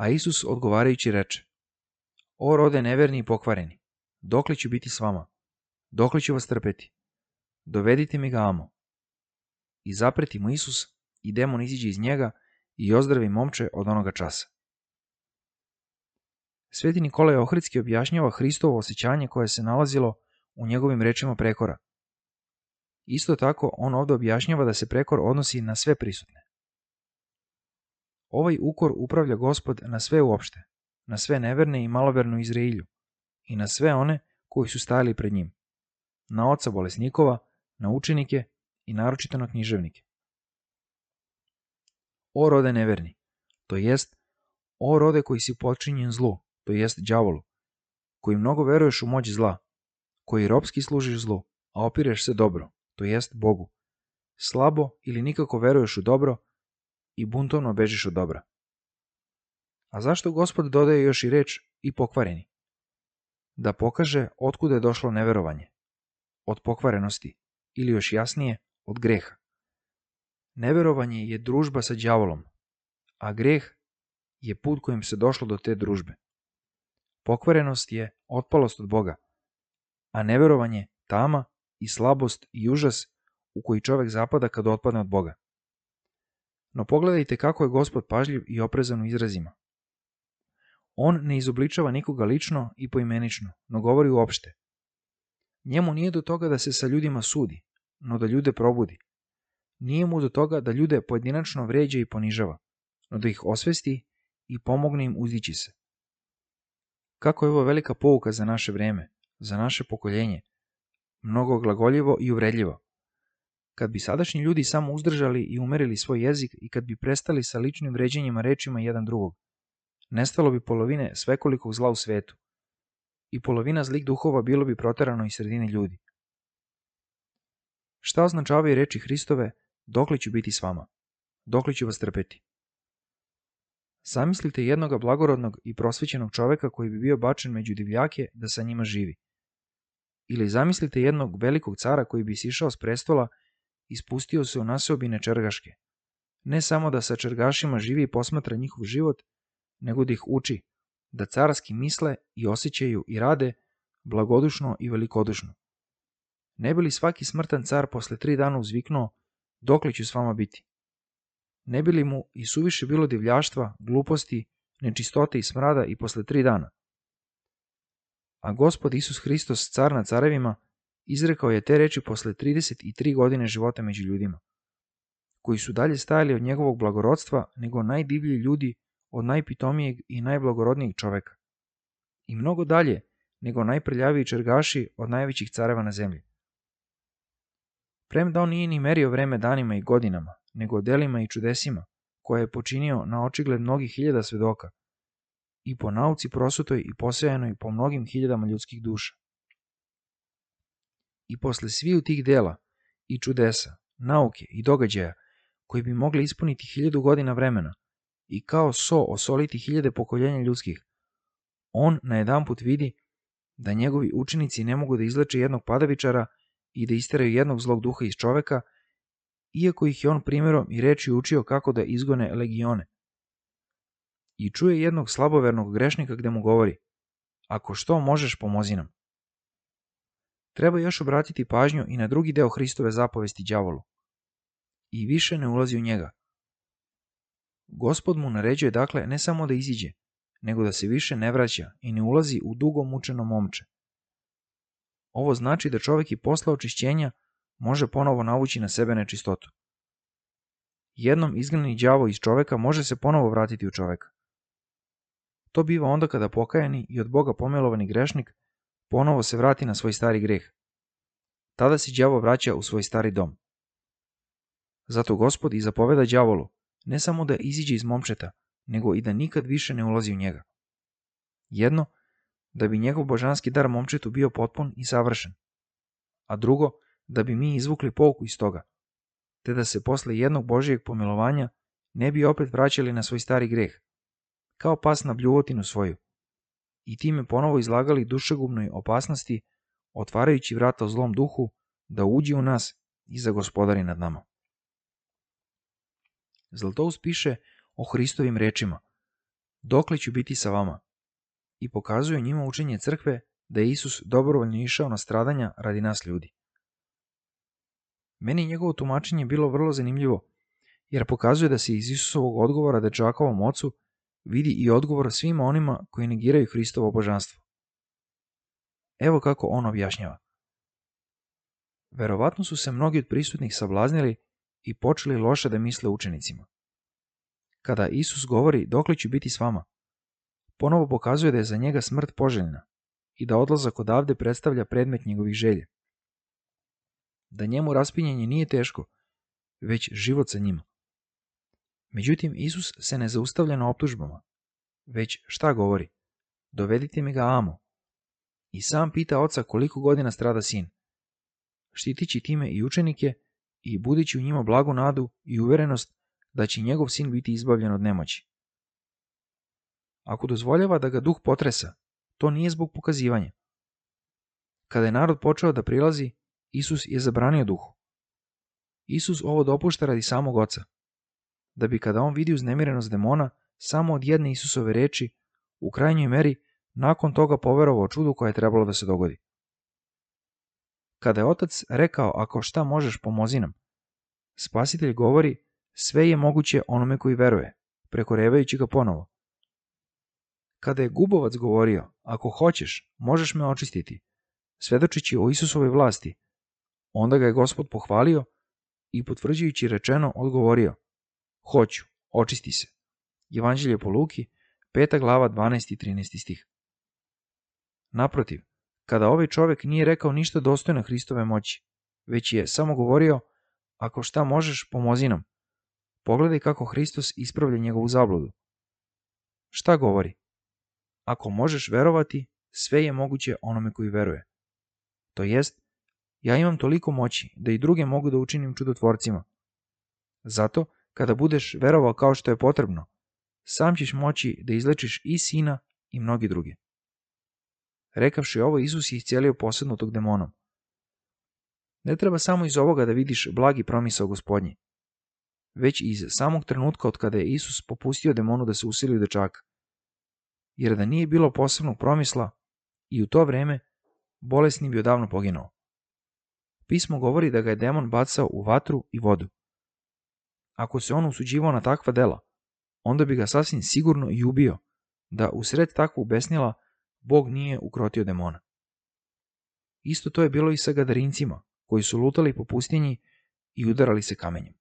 A Isus odgovarajući reče: O rode neverni i pokvareni, dokle ću biti s vama? Dokle ću vas trpeti? Dovedite mi ga amo. I zapreti mu Isus, i demon iziđe iz njega i ozdravi momče od onoga časa. Sveti Nikolaj Ohridski objašnjava Hristovo osjećanje koje se nalazilo u njegovim rečima prekora. Isto tako, on ovdje objašnjava da se prekor odnosi na sve prisutne. Ovaj ukor upravlja Gospod na sve uopšte, na sve neverne i maloverne u Izraelju i na sve one koji su stajali pred njim, na oca bolesnikova, na učenike i naročito na književnike. O rode neverni, to jest, o rode koji si počinjen zlu, to jest đavolu, koji mnogo veruješ u moć zla, koji ropski služiš zlu, a opireš se dobro, to jest Bogu, slabo ili nikako veruješ u dobro i buntovno bežiš od dobra. A zašto Gospod dodaje još i reč i pokvareni? Da pokaže otkuda je došlo neverovanje. Od pokvarenosti, ili još jasnije, od greha. Neverovanje je družba sa đavolom, a greh je put kojim se došlo do te družbe. Pokvarenost je otpalost od Boga, a neverovanje tama i slabost i užas u koji čovjek zapada kad otpadne od Boga. No pogledajte kako je Gospod pažljiv i oprezan u izrazima. On ne izobličava nikoga lično i poimenično, no govori uopšte. Njemu nije do toga da se sa ljudima sudi, no da ljude probudi. Nije mu do toga da ljude pojedinačno vređa i ponižava, no da ih osvesti i pomogne im uzdići se. Kako je ovo velika pouka za naše vreme, za naše pokoljenje, mnogo glagoljivo i uvredljivo. Kad bi sadašnji ljudi samo uzdržali i umerili svoj jezik i kad bi prestali sa ličnim vređanjima rečima jedan drugog, nestalo bi polovine svekolikog zla u svetu i polovina zlih duhova bilo bi proterano iz sredine ljudi. Šta označavaju reči Hristove, dokle ću biti s vama, dokle ću vas trpeti? Zamislite jednoga blagorodnog i prosvećenog čoveka koji bi bio bačen među divljake da sa njima živi. Ili zamislite jednog velikog cara koji bi sišao s prestola i spustio se u naseobine čergaške. Ne samo da sa čergašima živi i posmatra njihov život, nego da ih uči, da carski misle i osjećaju i rade blagodušno i velikodušno. Ne bi li svaki smrtan car posle 3 dana uzviknuo, dokle ću s vama biti? Ne bi li mu i suviše bilo divljaštva, gluposti, nečistote i smrada i posle 3 dana? A Gospod Isus Hristos, car nad carevima, izrekao je te reči posle 33 godine života među ljudima, koji su dalje stajali od njegovog blagorodstva nego najdivlji ljudi od najpitomijeg i najblagorodnijeg čoveka, i mnogo dalje nego najprljaviji čergaši od najvećih careva na zemlji. Premda on nije ni merio vreme danima i godinama, nego delima i čudesima, koje je počinio na očigled mnogih hiljada svedoka, i po nauci prosutoj i posejanoj po mnogim hiljadama ljudskih duša. I posle sviju tih dela, i čudesa, nauke i događaja, koji bi mogli ispuniti 1000 godina vremena, i kao so osoliti hiljade pokoljenja ljudskih, on najedanput vidi da njegovi učenici ne mogu da izleče jednog padavičara i da isteraju jednog zlog duha iz čoveka, iako ih je on primjerom i reči učio kako da izgone legione. I čuje jednog slabovernog grešnika gde mu govori: ako što možeš, pomozi nam. Treba još obratiti pažnju i na drugi deo Hristove zapovesti đavolu. I više ne ulazi u njega. Gospod mu naređuje dakle ne samo da iziđe, nego da se više ne vraća i ne ulazi u dugo mučeno momče. Ovo znači da čovjek i posle očišćenja može ponovo navući na sebe nečistotu. Jednom izgnani đavo iz čoveka može se ponovo vratiti u čoveka. To biva onda kada pokajani i od Boga pomilovani grešnik ponovo se vrati na svoj stari greh. Tada se đavo vraća u svoj stari dom. Zato Gospod i zapoveda đavolu ne samo da iziđe iz momčeta, nego i da nikad više ne ulazi u njega. Jedno, da bi njegov božanski dar momčetu bio potpun i savršen, a drugo, da bi mi izvukli pouku iz toga, te da se posle jednog Božijeg pomilovanja ne bi opet vraćali na svoj stari greh, kao pas na bljuvotinu svoju, i time ponovo izlagali dušegubnoj opasnosti, otvarajući vrata zlom duhu da uđe u nas i zagospodari nad nama. Zlatoust piše o Hristovim rečima: dokle ću biti sa vama? I pokazuju njima učenje crkve da je Isus dobrovoljno išao na stradanja radi nas ljudi. Meni je njegovo tumačenje bilo vrlo zanimljivo, jer pokazuje da se iz Isusovog odgovora dečakovom ocu vidi i odgovor svima onima koji negiraju Hristovo božanstvo. Evo kako on objašnjava. Verovatno su se mnogi od prisutnih sablaznili i počeli loše da misle učenicima. Kada Isus govori dokle ću biti s vama, ponovo pokazuje da je za njega smrt poželjna i da odlazak odavde predstavlja predmet njegovih želja. Da njemu raspinjanje nije teško, već život sa njima. Međutim, Isus se ne zaustavlja na optužbama, već šta govori? Dovedite mi ga amo. I sam pita oca koliko godina strada sin, štitići time i učenike i budići u njima blagu nadu i uverenost da će njegov sin biti izbavljen od nemoći. Ako dozvoljava da ga duh potresa, to nije zbog pokazivanja. Kada je narod počeo da prilazi, Isus je zabranio duhu. Isus ovo dopušta radi samog oca, da bi kada on vidi uznemirenost demona samo od jedne Isusove reči, u krajnjoj meri nakon toga poverovao čudu koje je trebalo da se dogodi. Kada je otac rekao ako šta možeš pomozi nam, Spasitelj govori sve je moguće onome koji veruje, prekorevajući ga ponovo. Kada je Gubovac govorio ako hoćeš možeš me očistiti, svedočići o Isusovoj vlasti, onda ga je Gospod pohvalio i potvrđujući rečeno odgovorio hoću, očisti se. Evanđelje po Luki, 5. glava 12. i 13. stih. Naprotiv, kada ovaj čovjek nije rekao ništa dostojno Hristove moći, već je samo govorio ako šta možeš pomozi nam, pogledaj kako Hristos ispravlja njegovu zabludu. Šta govori? Ako možeš verovati, sve je moguće onome koji veruje. To jest, ja imam toliko moći da i druge mogu da učinim čudotvorcima. Zato, kada budeš verovao kao što je potrebno, sam ćeš moći da izlečiš i sina i mnogi druge. Rekavši ovo, Isus je iscijelio posednutog demonom. Ne treba samo iz ovoga da vidiš blagi promisao Gospodnji, već iz samog trenutka od kada je Isus popustio demonu da se usili u dečaka. Jer da nije bilo posebnog promisla, i u to vreme bolesni bi odavno poginuo. Pismo govori da ga je demon bacao u vatru i vodu. Ako se on usuđivao na takva dela, onda bi ga sasvim sigurno i ubio, da usred takvog besnila Bog nije ukrotio demona. Isto to je bilo i sa Gadarincima, koji su lutali po pustinji i udarali se kamenjem.